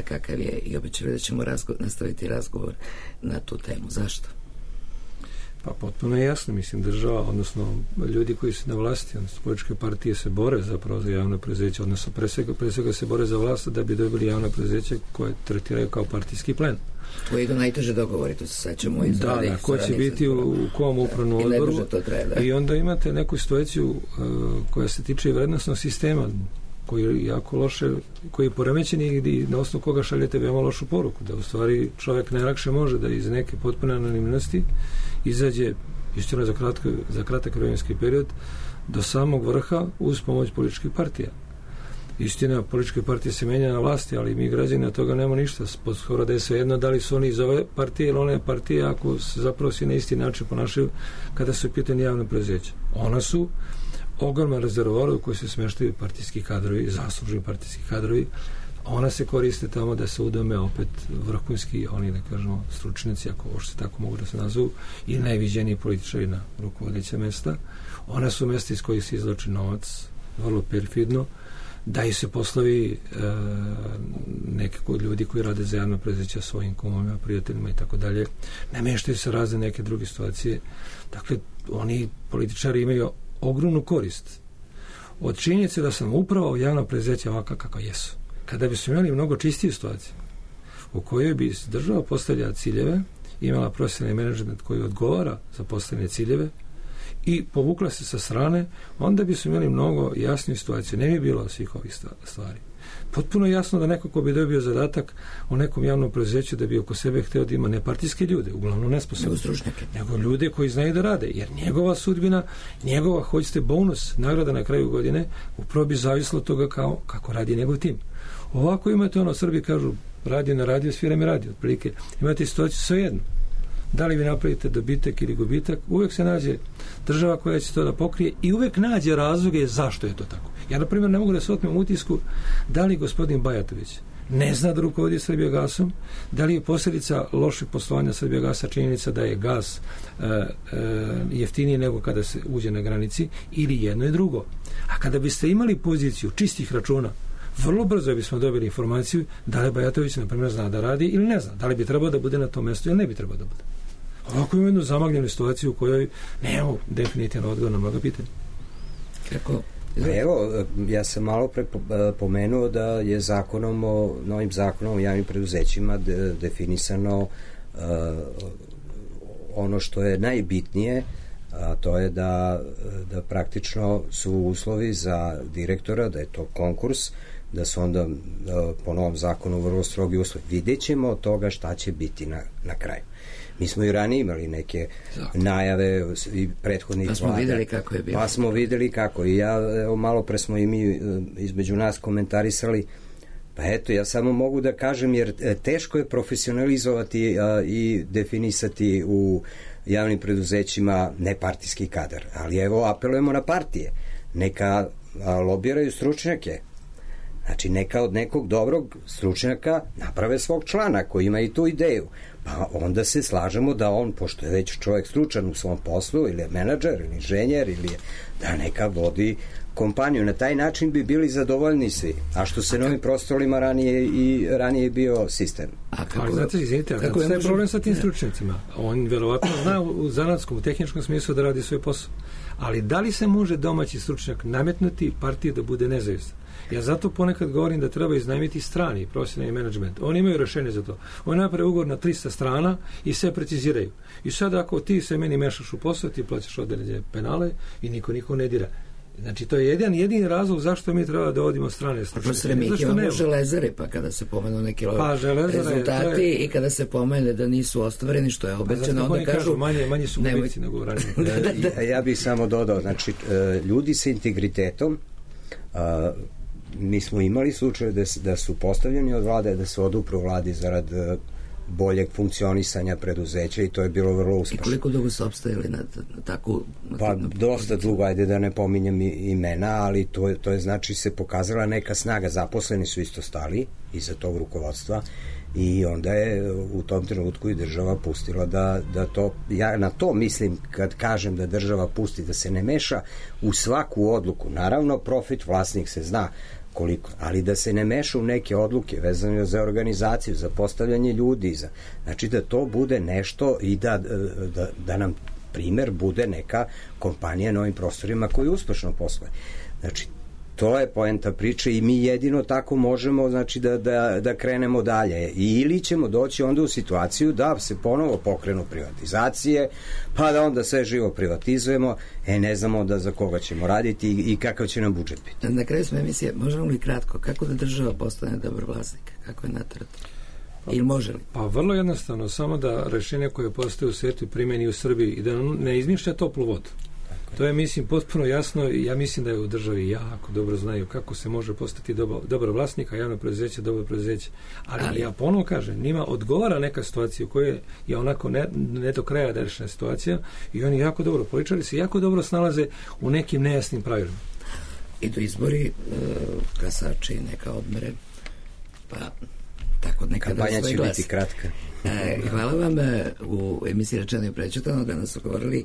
kakav je, i obećali da ćemo nastaviti razgovor na tu temu. Zašto? Pa potpuno je jasno, mislim, država, odnosno ljudi koji su na vlasti, odnosno političke partije se bore zapravo za javno preduzeće, odnosno pre svega se bore za vlast da bi dobili javno preduzeće koje tretiraju kao partijski plen. To je do najteže dogovori, to se saćemo iz da, ko će biti u kom upravnom odboru i onda imate neku situaciju koja se tiče vrednostnog sistema koji je jako loše, koji je poremećen i na osnovu koga šaljete veoma lošu poruku, da u stvari čovjek najlakše može da iz neke potpune anonimnosti izađe, istina za kratak vremenski period, do samog vrha uz pomoć političkih partija. Istina, političke partije se menja na vlasti, ali mi građani od toga nema ništa. Skoro da je svejedno da li su oni iz ove partije ili one partije, ako se zapravo svi na isti način ponašaju kada su pitanje javno preduzeća. Ona su ogroman rezervoar u kojoj se smeštaju partijski kadrovi, zaslužni partijski kadrovi. Ona se koriste tamo da se udome opet vrhunski, oni da kažemo stručnjaci, ako uopšte tako mogu da se nazovu, i najviđeniji političari na rukovodeća mesta. Ona su mesta iz kojih se izvlači novac, vrlo perfidno, daju se poslovi nekako od ljudi koji rade za javno preduzeća svojim kumovima, prijateljima i tako dalje. Nameštaju se razne neke druge situacije. Dakle, oni političari imaju ogromnu korist od činjenice da sam upravo javno preduzeća ovaka kako jesu. Kada bi su imali mnogo čistiju situaciju u kojoj bi država postavljala ciljeve, imala profesionalni menadžment koji odgovara za postavljene ciljeve i povukla se sa strane, onda bi su imali mnogo jasniju situaciju. Ne bi bilo svih ovih stvari. Potpuno jasno da neko ko bi dobio zadatak u nekom javnom preduzeću da bi oko sebe hteo da ima nepartijske ljude, uglavnom nesposobne, nego ljude koji znaju da rade, jer njegova sudbina, njegova, hoćete, bonus, nagrada na kraju godine, upravo bi zavislo od toga kako radi njegov tim. Ovako imate ono, Srbi kažu, radio na radio, svira mi radio, otprilike. Imate situaciju svejedno. Da li vi napravite dobitak ili gubitak, uvek se nađe država koja će to da pokrije i uvek nađe razloge zašto je to tako. Ja, na primjer, ne mogu da se otmem utisku da li gospodin Bajatović ne zna da rukovodi Srbijagasom, da li je posljedica lošeg poslovanja Srbijagasa činjenica da je gas jeftiniji nego kada se uđe na granici, ili jedno i drugo. A kada biste imali poziciju čistih računa, vrlo brzo bismo dobili informaciju da li Bajatović, na primjer, zna da radi ili ne zna, da li bi trebao da bude na tom mjestu ili ne bi trebao da bude. Ovako imamo jednu zamagljenu situaciju u kojoj nemamo definitivno odgovor na mnoga pitanja. Kako? Evo, ja sam malo pre pomenuo da je novim zakonom o javnim preduzećima definisano ono što je najbitnije, a to je da praktično su uslovi za direktora, da je to konkurs, da su onda po novom zakonu vrlo strogi uslovi. Vidjet ćemo od toga šta će biti na kraju. Mi smo i ranije imali neke najave i prethodnih vlada. Pa smo videli kako je bilo. Pa smo videli kako. I malo pre smo i mi između nas komentarisali. Pa eto, ja samo mogu da kažem, jer teško je profesionalizovati i definisati u javnim preduzećima nepartijski kadar. Ali evo, apelujemo na partije. Neka lobiraju stručnjake. Znači, neka od nekog dobrog stručnjaka naprave svog člana koji ima i tu ideju. Pa onda se slažemo da on, pošto je već čovjek stručan u svom poslu, ili je menadžer, ili inženjer, ili je, da neka vodi kompaniju. Na taj način bi bili zadovoljni svi. A što se novim prostorima ranije bio sistem. Ali znate, izvinite, kako je problem sa tim stručnjacima? On verovatno zna u zanatskom, u tehničkom smislu da radi svoj posao. Ali da li se može domaći stručnjak nametnuti partiji da bude nezavistan? Ja zato ponekad govorim da treba iznajmiti strani profesionalni menadžment. Oni imaju rešenje za to. Oni naprave ugovor na 300 strana i sve preciziraju. I sad ako ti se meni mešaš u posao, ti plaćaš određene penale i niko ne dira. Znači, to je jedini razlog zašto mi treba da odimo strane stručnjake. Mi imamo Železare, pa kada se pomenu neki rezultati i kada se pomene da nisu ostvareni, što je obećano, onda kažu manje su gubici nego ranije. Ja bih samo dodao, znači, ljudi sa integritetom, mi smo imali slučaje da su postavljeni od vlade, da se odupru vladi zarad boljeg funkcionisanja preduzeća i to je bilo vrlo uspešno. I koliko dugo su opstajali na takvu... Pa dosta dugo, ajde da ne pominjem imena, ali to je znači se pokazala neka snaga. Zaposleni su isto stali iza tog rukovodstva i onda je u tom trenutku i država pustila da to, ja na to mislim kad kažem da država pusti, da se ne meša u svaku odluku. Naravno, profit vlasnik se zna koliko, ali da se ne meša u neke odluke vezane za organizaciju, za postavljanje ljudi, znači da to bude nešto i da nam primer bude neka kompanija na ovim prostorima koji uspešno posluje. Znači, to je poenta priče i mi jedino tako možemo, znači, da krenemo dalje. Ili ćemo doći onda u situaciju da se ponovo pokrenu privatizacije, pa da onda sve živo privatizujemo, ne znamo onda za koga ćemo raditi i kakav će nam budžet biti. Na kraju smo emisije, možemo li kratko, kako da država postane dobar vlasnik? Kako je natrati? Ili može li? Pa vrlo jednostavno, samo da rešenje koje postoje u svijetu primeni u Srbiji i da ne izmišlja toplu vodu. To je, mislim, potpuno jasno i ja mislim da je u državi jako dobro znaju kako se može postati dobar vlasnik, a javno preduzeće dobro preduzeće. Ali ja ponovno kažem, njima odgovara neka situacija u kojoj je onako ne do kraja rešena situacija i oni jako dobro, političari se jako dobro snalaze u nekim nejasnim pravilima. Idu izbori, glasači, neka odmere, pa tako nekada kampanja će biti kratka. Hvala vam. U emisiji Rečeno i prečutano danas su govorili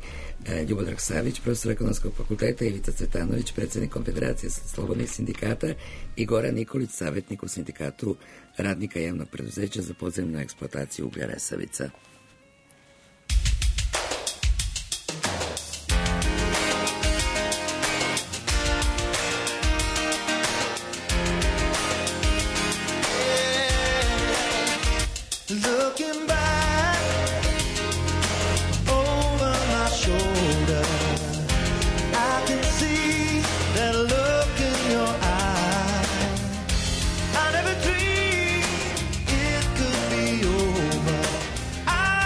Ljubodrag Savić, profesor ekonomskog fakulteta, Ivica Cvetanović, predsjednik Konfederacije slobodnih sindikata i Goran Nikolić, savjetnik u sindikatu radnika javnog preduzeća za podzemnu eksploataciju uglja Resavica. I never dreamed it could be over. I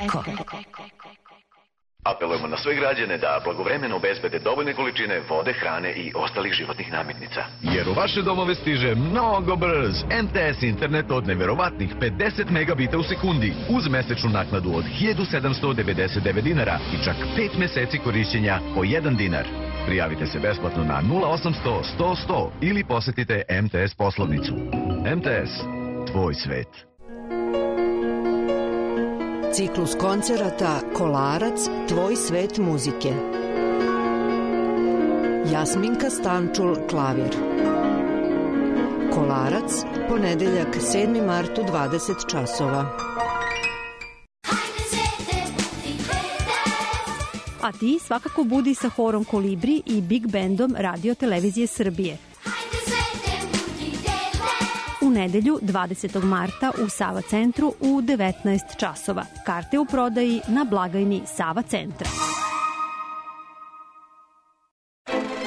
Eko. Apelujemo na sve građane da blagovremeno obezbede dovoljne količine vode, hrane i ostalih životnih namirnica. Jer u vaše domove stiže mnogo brz MTS internet od neverovatnih 50 megabita u sekundi uz mesečnu naknadu od 1799 dinara i čak 5 meseci korišćenja po 1 dinar. Prijavite se besplatno na 0800 100 100 ili posetite MTS poslovnicu. MTS, tvoj svet. Ciklus koncerata Kolarac, tvoj svet muzike. Jasminka Stančul, klavir. Kolarac, ponedeljak 7. mart u 20 časova. A ti svakako budi sa horom Kolibri i Big Bandom Radio Televizije Srbije. U nedelju 20. marta u Sava centru u 19 časova. Karte u prodaji na blagajni Sava centra.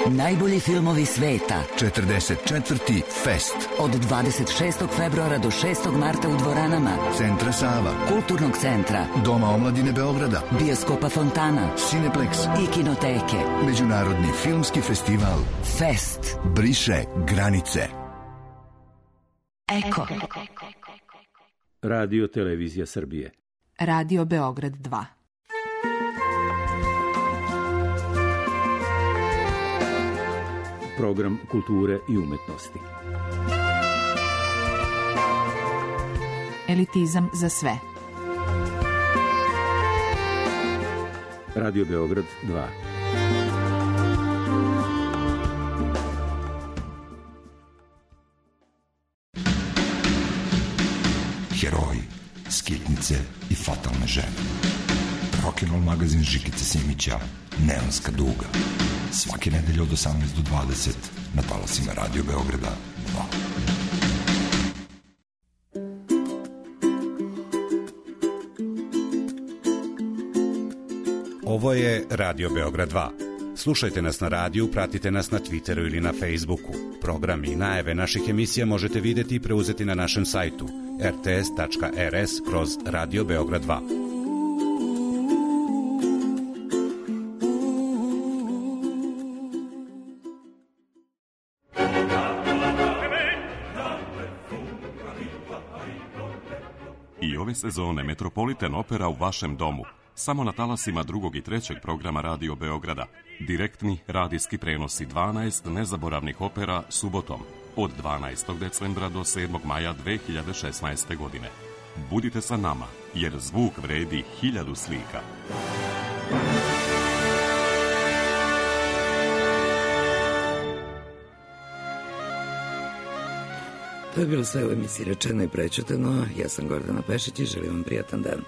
Najbolji filmovi sveta. 44. Fest. Od 26. februara do 6. marta u dvoranama Centra Sava, Kulturnog centra, Doma omladine Beograda, Bioskopa Fontana, Cineplex i Kinoteke. Međunarodni filmski festival Fest. briše granice. Eko. Radio Televizija Srbije. Radio Beograd 2. Program kulture i umetnosti. Elitizam za sve. Radio Beograd 2. Heroji, skitnice i fatalne žene. Rock'n'roll magazin Žikice Simića, Neonska duga. Svake nedelje od 18 do 20 na talasima Radio Beograda 2. Ovo je Radio Beograd 2. Slušajte nas na radiju, pratite nas na Twitteru ili na Facebooku. Programi i najave naših emisija možete videti i preuzeti na našem sajtu rts.rs/Radio Beograd 2. I ove sezone Metropolitan Opera u vašem domu. Samo na talasima 2. i 3. programa Radio Beograda. Direktni radijski prenosi 12 nezaboravnih opera subotom od 12. decembra do 7. maja 2016. godine. Budite sa nama, jer zvuk vredi 1000 slika. To je bilo sve u emisiji Rečeno i prećutano. Ja sam Gordana Pešić i želim vam prijatan dan.